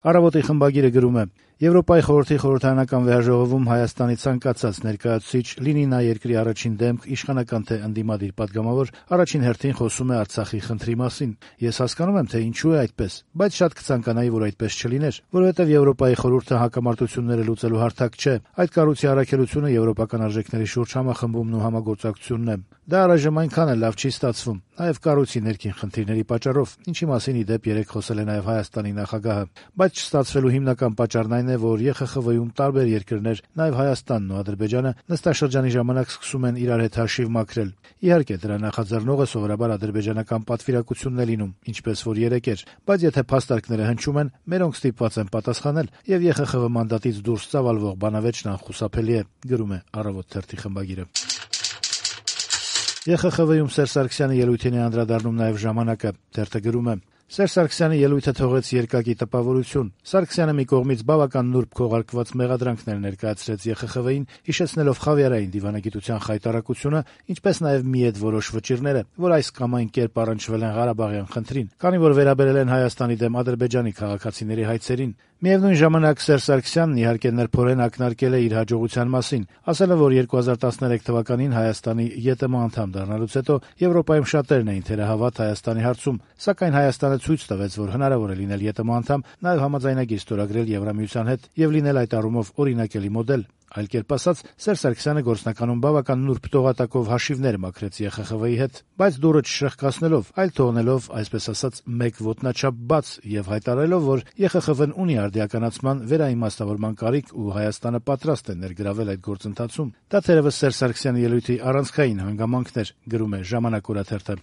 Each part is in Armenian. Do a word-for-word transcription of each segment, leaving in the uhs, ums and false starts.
Առավոտի խմբագիրը գրում է. Եվրոպայի խորհրդի խորհրդարանական վեհաժողովում Հայաստանի ցանկացած ներկայացուցիչ, լինի նա երկրի առաջին դեմք, իշխանական թե ընդդիմադիր պատգամավոր, առաջին հերթին խոսում է Արցախի խնդրի մասին։ Ես հասկանում եմ, թե ինչու է այդպես, բայց շատ կցանկանայի, որ այդպես չլիներ, որովհետև Եվրոպայի խորհուրդը հակամարտությունները լուծելու հարթակ չէ։ Այդ կառույցի առաքելությունը եվրոպական արժեքների շուրջ համախմբումն ու համագործակցությունն է։ Դա առայժմ այնքան էլ լավ չի ստացվում, նաև կառույցի ներքին խնդիրների պատճառով, ինչի մասին ի դեպ երեկ խոսել է նաև Հայաստանի նախագահը, բայց չստացվելու հիմնական պատճառն այն է, որ Է Խ Խ V-ում տարբեր երկրներ, նաև Հայաստանն ու Ադրբեջանը նստաշրջանի ժամանակ սկսում են իրար հետ հաշիվ մաքրել։ Իհարկե, դրա նախաձեռնողը սովորաբար ադրբեջանական պատվիրակությունն է լինում, ինչպես որ երեկ էր, բայց եթե փաստարկները հնչում են, մերոնք ստիպված են պատասխանել, եւ Է Խ Խ V մանդատից դուրս ծավալվող բանավեճն անխուսափելի է, գրում է Առավոտ թերթի խմբագիրը։ Է Խ Խ V-ում Սերժ Սարգսյանի ելույթին է անդրադառնում նաև Ժամանակը, թերթը գրում է. Սերժ Սարգսյանի ելույթը թողեց երկակի տպավորություն։ Սարգսյանը մի կողմից բավական նուրբ քողարկված մեղադրանքներ ներկայացրեց Է Խ Խ V-ին, հիշեցնելով խավիարային դիվանագիտության խայտարակությունը, ինչպես նաև մի այդ որոշ վճիռները, որ այս կամ այն կերպ առնչվել են Ղարաբաղյան խնդրին, քանի որ վերաբերել են Հայաստանի դեմ Ադրբեջանի քաղաքացիների հայցերին։ Միևնույն ժամանակ Սերժ Սարգսյանն իհարկե նրբորեն ակնարկել է իր հաջողության մասին, ասելով, որ երկու հազար տասներեք թվականին Հայաստանի Ե Տ Մ անդամ դառնալուց հետո Եվրոպայում շատերն էին թերահավատ Հայաստանի հարցում, սակայն Հայաստանը ցույց տվեց, որ հնարավոր է լինել Ե Տ Մ անդամ, նաև համաձայնագիր ստորագրել Եվրամիության հետ եւ լինել այդ առումով օրինակելի մոդել։ Այլ կերպ ասած, Սերժ Սարգսյանը գործնականում բավական նուրբ տողատակով հաշիվներ մաքրեց Է Խ Խ V-ի հետ, բայց դուռը չշրխկացնելով, այլ թողնելով, այսպես ասած, մեկ ոտնաչափ բաց եւ հայտարարելով, որ Է Խ Խ V-ն ունի արդիականացման վերաիմաստավորման կարիք ու Հայաստանը պատրաստ է ներգրավել այդ գործընթացում։ Դա թերևս Սերժ Սարգսյանի ելույթի առանցքային հանգամանքն էր, գրում է Ժամանակ օրաթերթը։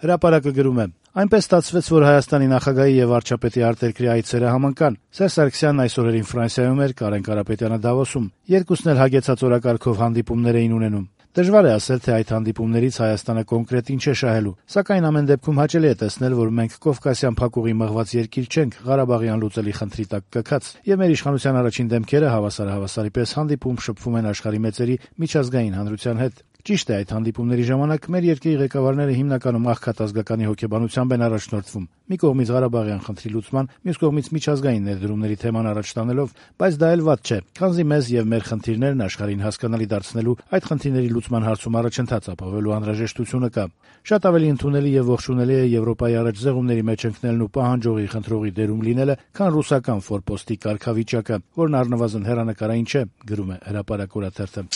Հրապարակը գրում է. Այնպես ստացվեց, որ Հայաստանի նախագահի եւ վարչապետի արտերկրի այցերը համընկան։ Սերժ Սարգսյանն այս օրերին Ֆրանսիայում էր, Կարեն Կարապետյանը Դավոսում։ Երկուսն էլ հագեցած օրակարգով հանդիպումներ էին ունենում։ Դժվար է ասել, թե այդ հանդիպումներից Հայաստանը կոնկրետ ինչ է շահելու, սակայն ամեն դեպքում հաճելի է տեսնել, որ մենք Կովկասյան փակուղի մղված երկիր չենք, Ղարաբաղյան լուծելի խնդրի տակ կքած, եւ մեր իշխանության առաջին դեմքերը հավասար-հավասարի պես հանդիպում շփվում են աշխարհի մեծերի միջազգային հանրության հետ։ Ճիշտ է, այդ հանդիպումների ժամանակ մեր երկրի ղեկավարները հիմնականում աղքատ ազգականի հոգեբանությամբ են առաջնորդվում։ Մի կողմից Ղարաբաղյան խնդրի լուծման, մյուս կողմից միջազգային ներդրումների թեման առաջ տանելով, բայց դա էլ վատ չէ, քանզի մեզ եւ մեր խնդիրներն աշխարհին հասկանալի դարձնելու, այդ խնդիրների լուծման հարցում առաջընթաց ապահովելու անհրաժեշտությունը կա։ Շատ ավելի ընդունելի եւ ողջունելի է Եվրոպայի առաջ զեղումների մեջ ընկնելն ու պահանջողի խնդրողի դերում լինելը, քան ռուսական ֆորպոստի կարգավիճակը, որն առնվազն հեռանկարային չէ, գրում է Հրապարակ օրաթերթը։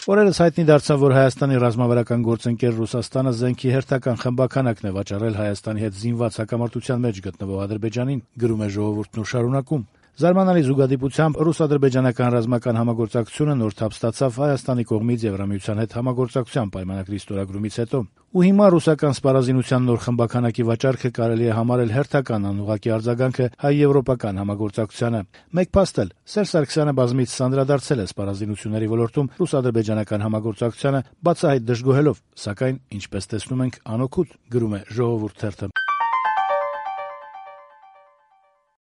Օրերս հայտնի դարձավ, որ Հայաստանի ռազմավարական գործընկեր Ռուսաստանը զենքի հերթական խմբաքանակն է վաճառել Հայաստանի հետ զինված հակամարտության մեջ գտնվող Ադրբեջանին, գրում է Ժողովուրդն ու շարունակում. Զարմանալի զուգադիպությամբ ռուս-ադրբեջանական ռազմական համագործակցությունը նոր թափ ստացավ Հայաստանի կողմից Եվրամիության հետ համագործակցության պայմանագրի ստորագրումից հետո։ Ու հիմա ռուսական սպառազինության նոր խմբաքանակի վաճառքը կարելի է համարել հերթական անուղղակի արձագանքը հայ-եվրոպական համագործակցությանը։ Մեկ փաստ էլ Սերժ Սարգսյանը բազմիցս անդրադարձել է սպառազինությունների ոլորտում ռուս-ադրբեջանական համագործակցությանը, բացահայտ դժգոհելով, սակայն, ինչպես տեսնում ենք, անօգուտ, գրում է Ժողովուրդ թերթը։